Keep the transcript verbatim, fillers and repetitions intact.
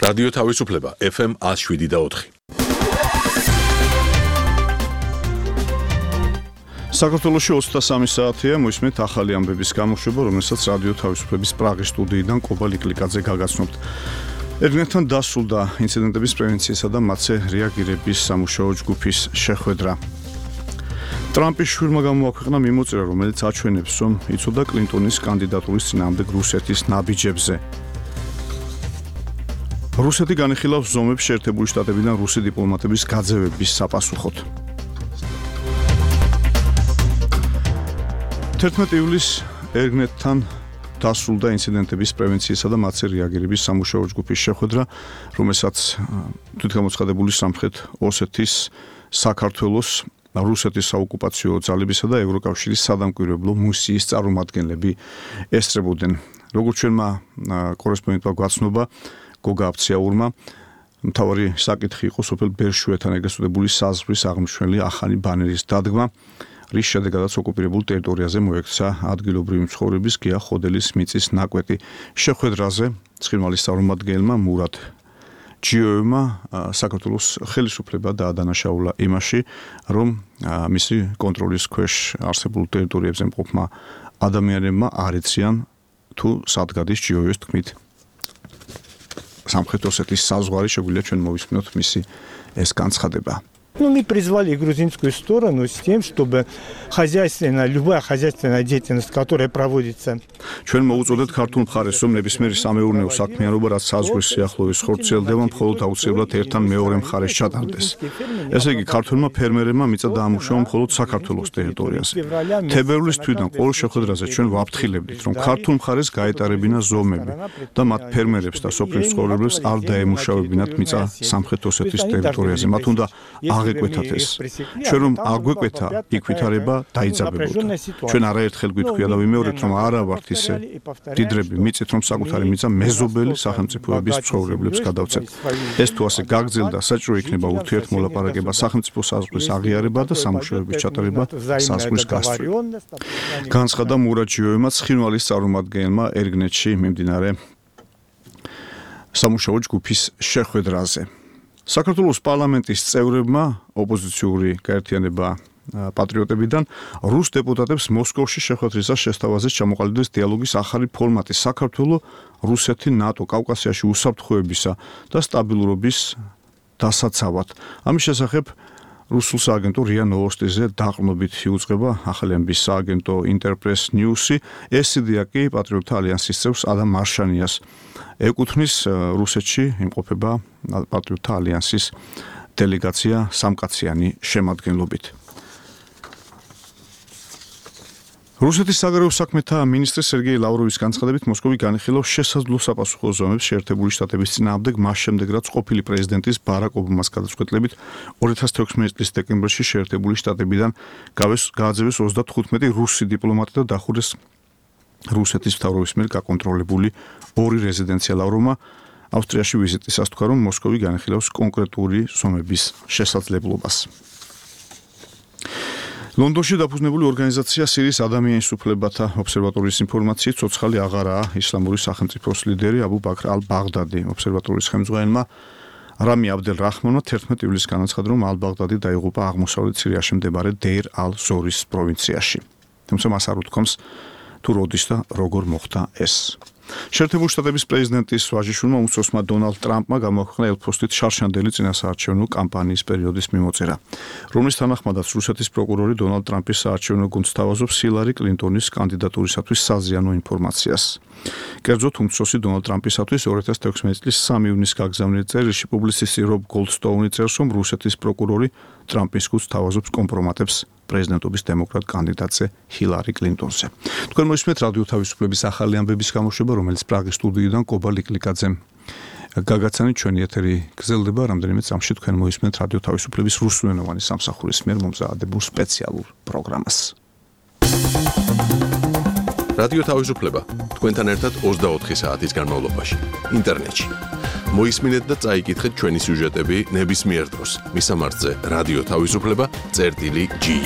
რადიო თავისუფლება ეფ ემ ათს შვიდი და ოთხი. საქართველოში ოცდასამი საათია მოისმენთ ახალი ამბების გამოშვება, რომელსაც რადიო თავისუფლების პრაღის სტუდიიდან კობა ლიკლიკაძე გაგაცნობთ. ერთმანეთთან დასრულდა ინციდენტების პრევენციისა და მათზე რეაგირების სამუშაო ჯგუფის შეხვედრა. ტრამპის შვილმა გამოაქვეყნა მიმოწერა, რომელიც აჩვენებს, რომ იცოდა კლინტონის კანდიდატურის წინააღმდეგ რუსეთის ნაბიჯებზე. რუსეთი განიხილავს ზომებს შეერთებული შტატებიდან რუსი დიპლომატების გაძევების საპასუხოდ. თერთმეტი ივლისს ერთმანეთთან დასრულდა ინციდენტების პრევენციისა და მათზე რეაგირების სამუშაო ჯგუფის შეხვედრა, რომელსაც თვითგამოცხადებული სამხრეთ ოსეთის, საქართველოს, რუსეთის საოკუპაციო ძალებისა და ევროკავშირის სადამკვირვებლო მისიის წარმომადგენლები ესწრებოდნენ. როგორც ჩვენმა კორესპონდენტმა გვაცნობა, გოგა აფციაურმა, მთავარი საკითხი იყო სოფელ ბერშუეთან ეგრეთ წოდებული საზღვრის აღმნიშვნელი ახალი ბანერის დადგმა, რის შედეგადაც ოკუპირებულ ტერიტორიაზე მოექცა ადგილობრივი მცხოვრების გია ხოდელის მიწის ნაკვეთი. შეხვედრაზე ცხინვალის წარმომადგენელმა მურატ ჯიოევმა საქართველოს ხელისუფლება დაადანაშაულა იმაში, რომ მისი კონტროლის ქვეშ არსებულ ტერიტორიებზე მყოფმა ადამიანებმა არ იციან თუ სად გადის ჯიოევის თქმით სამხრეთ ოსეთის საზღვარი. შეგვიძლია ჩვენ მოვისმინოთ მისი ეს განცხადება. Ну, мы призвали грузинскую сторону с тем, чтобы хозяйственная, любая хозяйственная деятельность, которая проводится. ჩვენ მოუწოდეთ ქართულ მხარეს, რომ ნებისმიერი სამეურნეო საქმიანობა, რაც საზღვრის სიახლოვეს ხორციელდება, მხოლოდ აუცილებლად ერთთან მეორე მხარეს ჩატარდეს. ესე იგი, ქართველმა ფერმერებმა მიწა დაამუშავა მხოლოდ საქართველოს ტერიტორიაზე. თებერვლის თვიდან ყოველ შეხვედრაზე ჩვენ ვაფრთხილებდით, რომ ქართულ მხარეს გაეტარებინა ზომები და მათ ფერმერებს და სოფლის მცხოვრებლებს არ დაემუშავებინათ მიწა სამხრეთ ოსეთის ტერიტორიაზე. მათ უნდა აგვეკვეთათ ეს. ჩვენ რომ აგვეკვეთა, იქ ვითარება დაიძაბებოდა. ჩვენ არაერთხელ გვითქვია და ვიმეორებთ, რომ არა ვართ ისე დიდრები, მიწით რომ საკუთარი მიწა მეზობელი სახელმწიფოების მცხოვრებლებს გადავცეთ. ეს თუ ასე გაგრძელდა, საჭირო იქნება ურთიერთმოლაპარაკება, სახელმწიფო საზღვრის აღიარება და სამუშაოების ჩატარება საზღვრის გასწვრივ. განცხადა მურატ ჯიოევმა ცხინვალის წარმომადგენელმა ერგნეთში მიმდინარე სამუშაო ჯგუფის შეხვედრაზე. საქართველოს პარლამენტის წევრებმა ოპოზიციური გაერთიანება პატრიოტებიდან რუს დეპუტატებს მოსკოვში შეხვედრისას შესთავაზეს ჩამოყალიბდეს დიალოგის ახალი ფორმატი საქართველოს, რუსეთი, ნატო, კავკასიაში უსაფრთხოებისა და სტაბილურობის დასაცავად. ამის შესახებ რუსულ სააგენტო რია ნოვოსტიზე დაყრდნობით იუწყება ახალი ამბის სააგენტო ინტერპრეს ნიუსი. ეს იდეა კი პატრიოტთა ალიანსის წევრს ადამ მარშანიას ეკუთვნის. რუსეთში იმყოფება პატრიოტთა ალიანსის დელეგაცია სამკაციანი შემადგენლობით. რუსეთის საგარეო საქმეთა მინისტრი სერგეი ლავროვის განცხადებით, მოსკოვი განიხილავს შესაძლო sapasukho ზომებს შეერთებული შტატების წინააღმდეგ, მას შემდეგ რაც ყოფილი პრეზიდენტის ბარაკ ობამას გადაწყვეტილებით ორი ათას თექვსმეტი წლის დეკემბერში შეერთებული შტატებიდან გააძევეს ოცდათხუთმეტი რუსი დიპლომატი და დახურეს რუსეთის მთავრობის მიერ გაკონტროლებული ორი რეზიდენცია. ლავროვმა ავსტრიაში ვიზიტისას თქვა, რომ მოსკოვი განიხილავს კონკრეტული ზომების შესაძლებლობას. ლონდონში დაფუძნებული ორგანიზაცია სირიის ადამიანის უფლებათა ობსერვატორიის ინფორმაციით, ცოცხალი აღარაა ისლამური სახელმწიფოს ლიდერი აბუ ბაქრ ალ-ბაღდადი. ობსერვატორიის ხელმძღვანელმა რამი აბდელ რაჰმანმა თერთმეტი ივლისს განაცხადა, რომ ალ-ბაღდადი დაიღუპა აღმოსავლეთ სირიაში მდებარე დეირ ალ-ზორის პროვინციაში. თუმცა მას არ უთქვამს თუ როდის და როგორ მოხდა ეს. შეერთებული შტატების პრეზიდენტის ვაჟიშვილმა უმცროსმა დონალდ ტრამპმა გამოაქვეყნა ელფოსტით შარშანდელი წინასაარჩევნო კამპანიის პერიოდის მიმოწერა, რომლის თანახმადაც რუსეთის პროკურორი დონალდ ტრამპის საარჩევნო გუნდს თავაზობს ჰილარი კლინტონის კანდიდატურისათვის საზიანო ინფორმაციას. კერძოდ, უმცროსი დონალდ ტრამპისათვის ორი ათას თექვსმეტი წლის სამი ივნისს გაგზავნილ წერილში პუბლიცისტი რობ გოლდსტოუნი წერს, რომ რუსეთის პროკურორი ტრამპის გუნდს თავაზობს კომპრომატებს პრეზიდენტობის დემოკრატ კანდიდატზე ჰილარი კლინტონზე. თქვენ მოისმენთ რადიო თავისუფლების ახალი ამბების გამოშვება, რომელიც პრაღის სტუდიიდან კობა ლიკლიკაძემ გაგაცანით. ჩვენი ეთერი გრძელდება, რამდენიმე წამში თქვენ მოისმენთ რადიო თავისუფლების რუსულენოვანი სამსახურის მიერ მომზადებულ სპეციალურ პროგრამას. რადიო თავისუფლება თქვენთან ერთად ოცდაოთხი საათის განმავლობაში ინტერნეტში. მოისმინეთ და წაიკითხეთ ჩვენი სიუჟეტები ნებისმიერ დროს. მისამართზე რადიო თავისუფლება წერტილი ჯი.